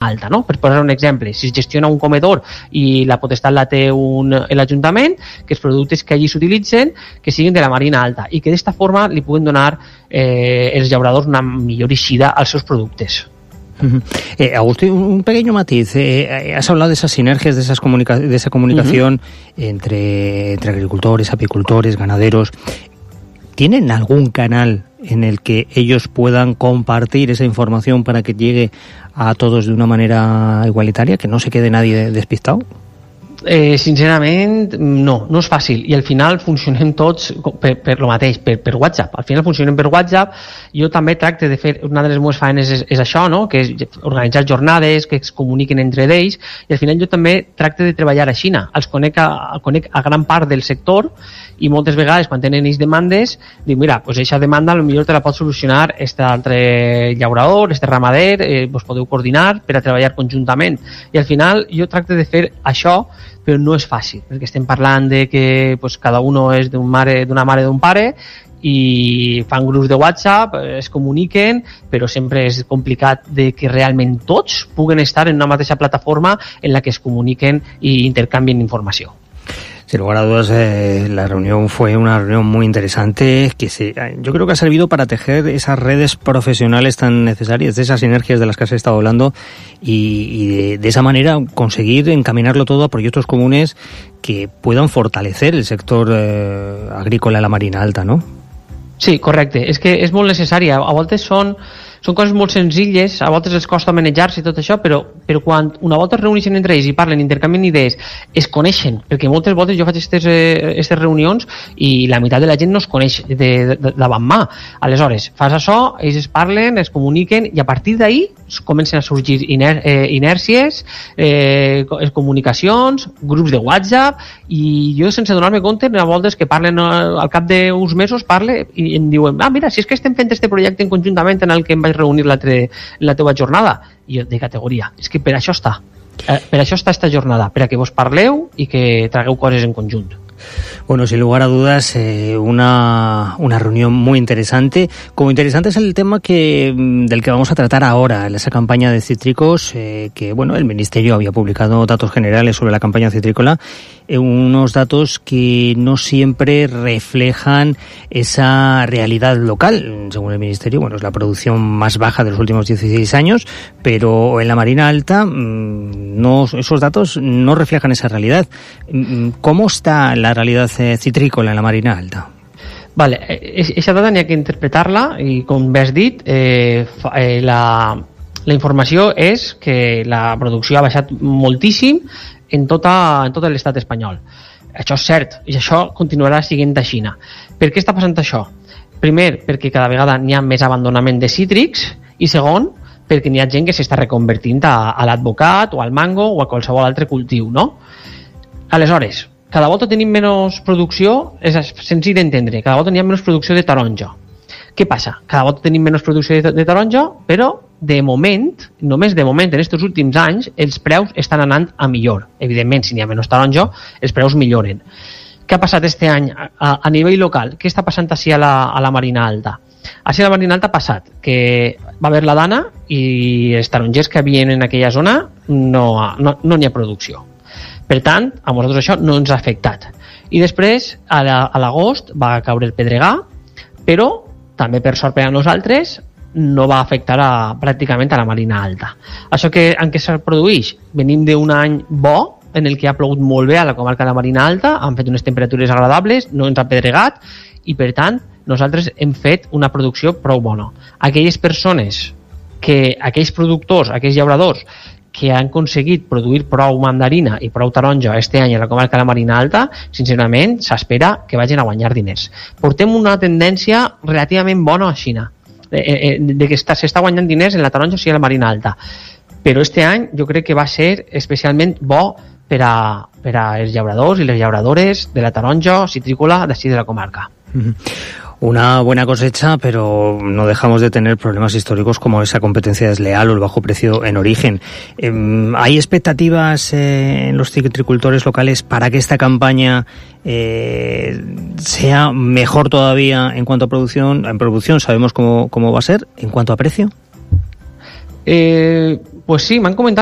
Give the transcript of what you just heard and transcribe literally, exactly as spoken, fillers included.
alta, no? Per posar un exemple, si es gestiona un comedor i la potestat la té un, l'Ajuntament, que els productes que allí s'utilitzen que siguin de la Marina Alta i que d'esta forma li puguen donar eh, els llauradors una millor eixida als seus productes. Uh-huh. Eh, Agustín, un pequeño matiz. Eh, has hablado de esas sinergias, de, esas comunica- de esa comunicación uh-huh. entre, entre agricultores, apicultores, ganaderos. ¿Tienen algún canal en el que ellos puedan compartir esa información para que llegue a todos de una manera igualitaria, que no se quede nadie despistado? Eh, sincerament, no, no és fàcil i al final funcionem tots per, per lo mateix, per, per WhatsApp. Al final funcionem per WhatsApp. Jo també tracte de fer, una de les meves feines és, és això, no? Que és organitzar jornades que es comuniquen entre ells i al final jo també tracte de treballar a Xina. Els conec a, conec a gran part del sector i moltes vegades quan tenen ells demandes dic, mira, pues eixa demanda potser te la pot solucionar este altre llaurador, este ramader, eh, vos podeu coordinar per a treballar conjuntament i al final jo tracte de fer això, però no és fàcil, perquè estem parlant de que pues, cada uno és d'un mare, d'una mare d'un pare i fan grups de WhatsApp, es comuniquen, però sempre és complicat de que realment tots puguen estar en una mateixa plataforma en la que es comuniquen i intercanvien informació. Sin lugar a dudas, eh, la reunión fue una reunión muy interesante que se, yo creo que ha servido para tejer esas redes profesionales tan necesarias, de esas sinergias de las que has estado hablando y, y de, de esa manera conseguir encaminarlo todo a proyectos comunes que puedan fortalecer el sector eh, agrícola de la Marina Alta, ¿no? Sí, correcte. És que és molt necessari. A voltes són, són coses molt senzilles, a voltes els costa manejar-se i tot això, però, però quan una volta es reuneixen entre ells i parlen, intercanvien idees, es coneixen, perquè moltes voltes jo faig aquestes eh, reunions i la meitat de la gent no es coneix de, de, de davant mà. Aleshores, fas això, ells es parlen, es comuniquen i a partir d'ahí comencen a sorgir iner, eh, inèrcies, eh, comunicacions, grups de WhatsApp i jo sense donar-me compte a voltes que parlen al cap d'uns mesos parle i em diuen, ah mira, si és que estem fent este projecte en conjuntament en el que em vaig reunir l'altre, la teva jornada i jo de categoria, és que per això està eh, per això està esta jornada, per a que vos parleu i que tragueu coses en conjunt. Bueno, sin lugar a dudas, eh, una, una reunión muy interesante. Como interesante es el tema que del que vamos a tratar ahora, esa campaña de cítricos, eh, que bueno, el Ministerio había publicado datos generales sobre la campaña citrícola, eh, unos datos que no siempre reflejan esa realidad local. Según el Ministerio, bueno, es la producción más baja de los últimos dieciséis años, pero en la Marina Alta no, esos datos no reflejan esa realidad. ¿Cómo está la realidad eh, citrícola en la Marina Alta? Vale, aquesta data n'hi ha que interpretar-la i com bé has dit, eh, eh, la, la informació és que la producció ha baixat moltíssim en, tota, en tot l'estat espanyol. Això és cert i això continuarà sent a Xina. Per què està passant això? Primer, perquè cada vegada n'hi ha més abandonament de cítrics i segon, perquè n'hi ha gent que s'està reconvertint a, a l'advocat o al mango o a qualsevol altre cultiu, no? Aleshores, cada volta tenim menys producció, és senzill d'entendre, cada volta n'hi ha menys producció de taronja. Què passa? Cada volta tenim menys producció de, de taronja, però de moment, només de moment, en aquests últims anys, els preus estan anant a millor. Evidentment, si n'hi ha menys taronja, els preus milloren. Què ha passat este any a, a nivell local? Què està passant així a la, a la Marina Alta? Així a la Marina Alta ha passat que va haver la dana i els tarongers que havien en aquella zona no, no, no n'hi ha producció. Per tant, a nosaltres això no ens ha afectat. I després, a l'agost, va caure el pedregà, però també per sort per a nosaltres no va afectar a, pràcticament a la Marina Alta. Això que, en què se produeix? Venim d'un any bo, en el que ha plogut molt bé a la comarca de la Marina Alta, han fet unes temperatures agradables, no ens ha pedregat, i per tant, nosaltres hem fet una producció prou bona. Aquelles persones, que, aquells productors, aquells llauradors, que han aconseguit produir prou mandarina i prou taronja este any a la comarca de la Marina Alta, sincerament s'espera que vagin a guanyar diners. Portem una tendència relativament bona a Xina, de, de, de que s'està guanyant diners en la taronja i a la Marina Alta. Però este any jo crec que va ser especialment bo per a, per a els llauradors i les llauradores de la taronja citrícola d'ací de la comarca. Mm-hmm. Una buena cosecha, pero no dejamos de tener problemas históricos como esa competencia desleal o el bajo precio en origen. Eh, ¿Hay expectativas eh, en los citricultores locales para que esta campaña eh, sea mejor todavía en cuanto a producción? En producción sabemos cómo, cómo va a ser. ¿En cuanto a precio? Eh, Pues sí, m'han comentat